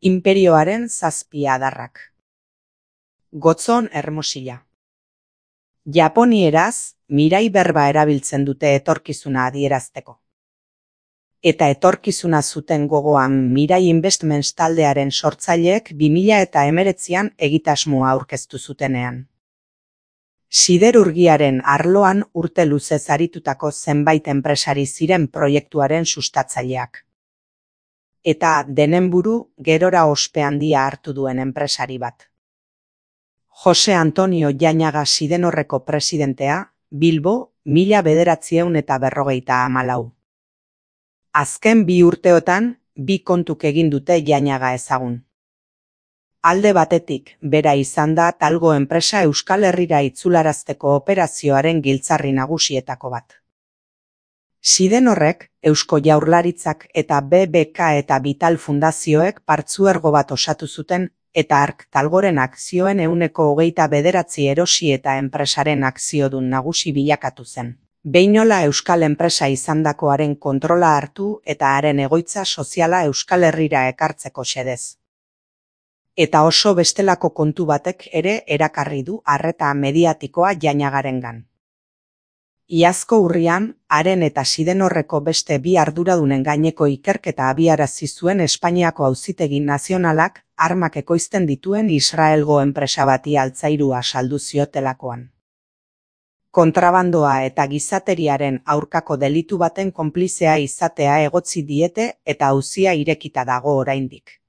Inperioaren 7 adarrak. Gotzon Hermosilla. Japonieraz, mirai berba erabiltzen dute etorkizuna adierazteko. Eta etorkizuna zuten gogoan Mirai Investments taldearen sortzaileek 2019an egitasmoa aurkeztu zutenean. Siderurgiaren arloan urte luzez aritutako zenbait enpresari ziren proiektuaren sustatzaileak. Eta denen buru gerora ospe handia hartu duen enpresari bat. Jose Antonio Jañaga Sidenorreko presidentea, Bilbo, 1954. Azken 2 urteotan, 2 kontuk egin dute Jañaga ezagun. Alde batetik, bera izan da Talgo enpresa Euskal Herrira itzularazteko operazioaren giltzarri nagusietako bat. Sidenorrek, Eusko Jaurlaritzak eta BBK eta Vital Fundazioek partzuergo bat osatu zuten, eta Ark Talgoren akzioen 29% erosi eta enpresaren akziodun nagusi bilakatu zen. Behinola euskal enpresa izandakoaren kontrola hartu eta haren egoitza soziala Euskal Herrira ekartzeko xedez. Eta oso bestelako kontu batek ere erakarri du arreta mediatikoa Jañagarengan. Iazko urrian, haren eta Sidenorreko beste 2 arduradunen gaineko ikerketa abiarazi zuen Espainiako Auzitegi Nazionalak armak ekoizten dituen Israelgo enpresa bati altzairua saldu ziotelakoan. Kontrabandoa eta gizateriaren aurkako delitu baten konplizea izatea egotzi diete eta auzia irekita dago oraindik.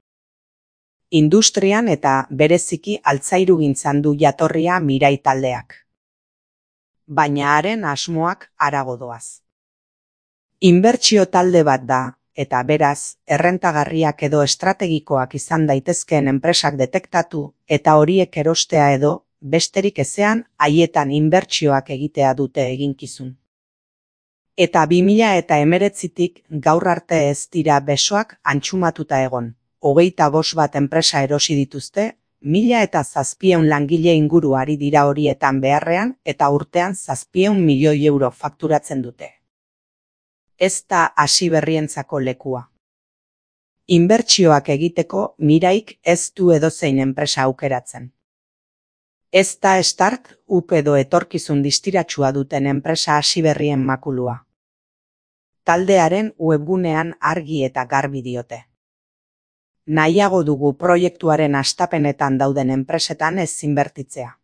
Industrian eta bereziki altzairugintzan du jatorria Mirai taldeak. Baina haren asmoak harago doaz. Inbertsio talde bat da, eta beraz, errentagarriak edo estrategikoak izan daitezkeen enpresak detektatu eta horiek erostea edo, besterik ezean, haietan inbertsioak egitea dute eginkizun. Eta 2019tik gaur arte ez dira besoak antxumatuta egon. 25 bat enpresa erosi dituzte, 1700 langile inguru ari dira horietan beharrean eta urtean 700 milioi euro fakturatzen dute. Ez da hasi berrientzako lekua. Inbertsioak egiteko Miraik ez du edozein enpresa aukeratzen. Ez da start, up edo etorkizun distiratsua duten enpresa hasi berrien makulua. Taldearen webgunean argi eta garbi diote. Nahiago dugu proiektuaren hastapenetan dauden enpresetan ez inbertitzea.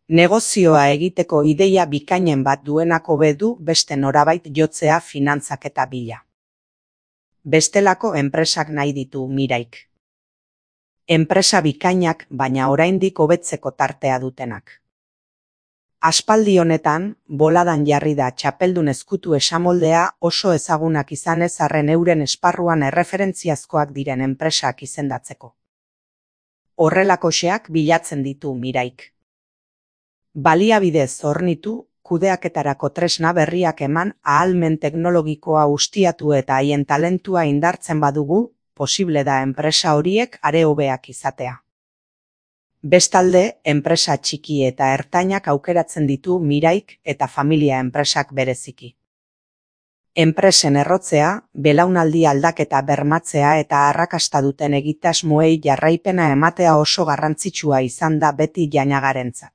Negozioa egiteko ideia bikainen bat duenak hobe du beste norabait jotzea finantzaketa bila. Bestelako enpresak nahi ditu Miraik. Enpresa bikainak baina oraindik hobetzeko tartea dutenak. Aspaldi honetan, boladan jarri da txapeldun ezkutu esamoldea oso ezagunak izanez arren euren esparruan erreferentziazkoak diren enpresak izendatzeko. Horrelakoxeak bilatzen ditu Miraik. Baliabidez hornitu, kudeaketarako tresna berriak eman ahalmen teknologikoa ustiatu eta haien talentua indartzen badugu, posible da enpresa horiek are hobeak izatea. Bestalde, enpresa txiki eta ertainak aukeratzen ditu Miraik eta familia enpresak bereziki. Enpresen errotzea, belaunaldi aldaketa bermatzea eta arrakasta duten egitasmoei jarraipena ematea oso garrantzitsua izan da beti Jañagarentzat.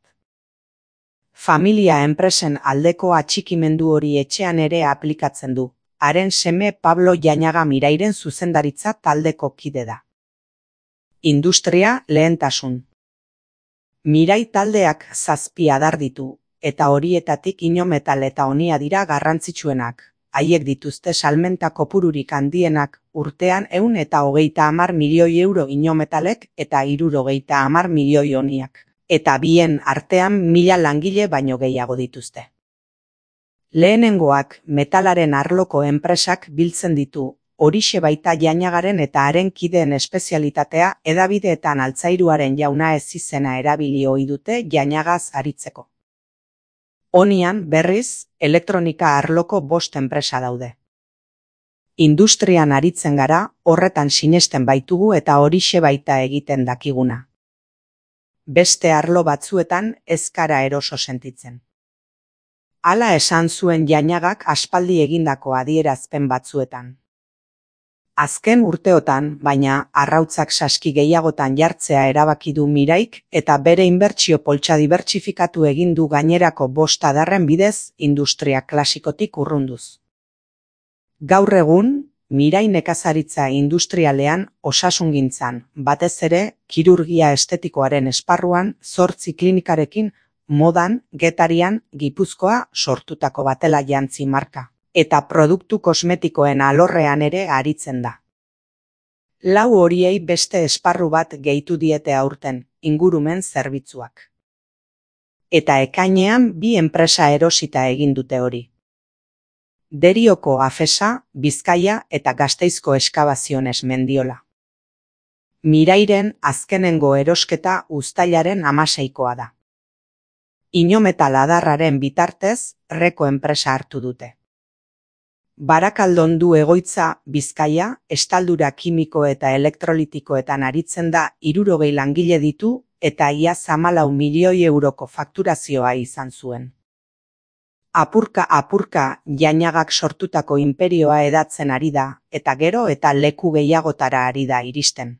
Familia enpresen aldeko atxikimendu hori etxean ere aplikatzen du. Haren seme Pablo Jañaga Mirairen zuzendaritza taldeko kide da. Industria lehentasun. Mirai taldeak 7 adar ditu, eta horietatik inometal eta honia dira garrantzitsuenak. Haiek dituzte salmenta kopururik handienak, urtean 130 milioi euro inometalek eta 70 milioi honiak. Eta bien artean 1000 langile baino gehiago dituzte. Lehenengoak metalaren arloko enpresak biltzen ditu, horixe baita Jañagaren eta haren kideen espezialitatea hedabideetan altzairuaren jauna ez izena erabili ohi dute Jañagaz aritzeko. Honian, berriz, elektronika arloko 5 enpresa daude. Industrian aritzen gara, horretan sinesten baitugu eta horixe baita egiten dakiguna. Beste arlo batzuetan ez gara eroso sentitzen. Hala esan zuen Jañagak aspaldi egindako adierazpen batzuetan. Azken urteotan, baina, arrautzak saski gehiagotan jartzea erabaki du Miraik eta bere inbertsio poltsa dibertsifikatu egin du gainerako 5 adarren bidez industria klasikotik urrunduz. Gaur egun, Mirai nekazaritza industrialean osasungintzan, batez ere, kirurgia estetikoaren esparruan 8 klinikarekin modan, Getarian, Gipuzkoa sortutako batela jantzi marka. Eta produktu kosmetikoen alorrean ere aritzen da. 4 horiei beste esparru bat gehitu diete aurten, ingurumen zerbitzuak. Eta ekainean 2 enpresa erosita egin dute hori. Derioko Afesa, Bizkaia eta Gasteizko Eskabaziones Mendiola. Mirairen azkenengo erosketa uztailaren 16koa da. Inometal adarraren bitartez, Reko enpresa hartu dute. Barakaldon du egoitza Bizkaia, estaldura kimiko eta elektrolitikoetan aritzen da 60 langile ditu eta ia 14 milioi euroko fakturazioa izan zuen. Apurka Jainagak sortutako inperioa edatzen ari da eta gero eta leku gehiagotara ari da iristen.